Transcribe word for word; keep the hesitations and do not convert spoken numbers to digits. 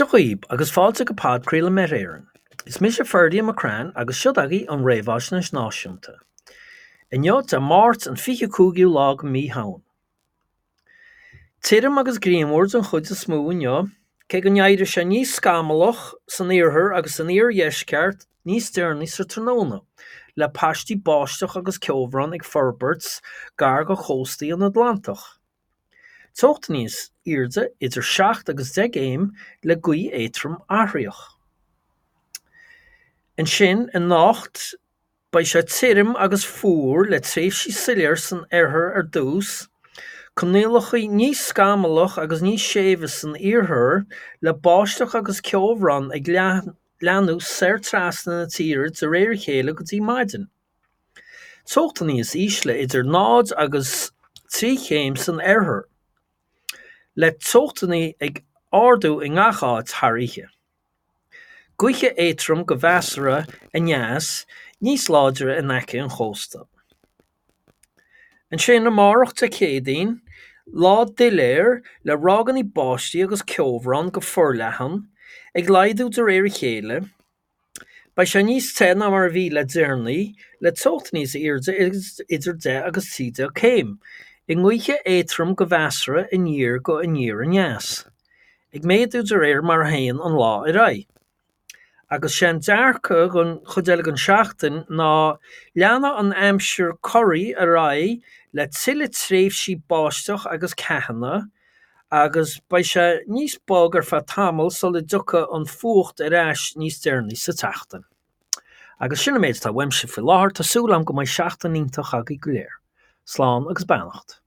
Dia dhaoib agus fáilte go podchraoladh Met Éireann. Is mise Ferdia McCrann agus seo agaibh an Réamhaisnéis Náisiúnta. Inniu Dé Máirt an fiche cúigiú lá de mhí Shamhain. Tirim agus grianmhar den chuid is mó inniu, cé go n-éireoidh sé níos scamallach san iarthar agus san iardheisceart níos deireanaí sa tráthnóna, le paistí báisteach agus ceobhrán ag forbairt gar do chóstaí an Atlantach. Teocht níos airde idir seacht agus deich gcéim le gaoth éadrom athraitheach. Ansin anocht beidh sé tirim agus fuar le tréimhsí soiléir san oirthear ar dtús, coinníollacha níos scamallach agus níos séimhe san iarthar le báisteach agus ceobhrán ag leathnú soir trasna na tíre de réir a chéile go dtí maidin. Teochtaí níos ísle idir náid agus trí chéim san oirthear, le teochtaí ag ardú i ngach áit thar oíche. Gaoth éadrom go measartha aneas, níos láidre in aice an chósta. Ansin amárach Dé Céadaoin, lá doiléir le ráigeanna báistí agus ceobhrán go forleathan, ag laghdú de réir a chéile. Beidh sé níos te ná mar a bhí le deireanaí, le teocht níos airde idir deich agus trí déag céim, i ngaoth éadrom go measartha aniar go aniar aneas, ag méadú de réir mar a théann an lá ar aghaidh. Agus sé an dearcadh don chuid eile den seachtain ná leanfaidh an aimsir corraí ar aghaidh le tuilleadh tréimhsí báisteach agus ceathanna, agus beidh sé níos bog ar feadh tamaill sula dtiocfaidh an fuacht ar ais níos deireanaí sa tseachtain. Agus sin an méid atá uaimse faoi láthair, tá súil agam go mbeidh seachtain iontach agaibh go léir. Slán agus beannacht.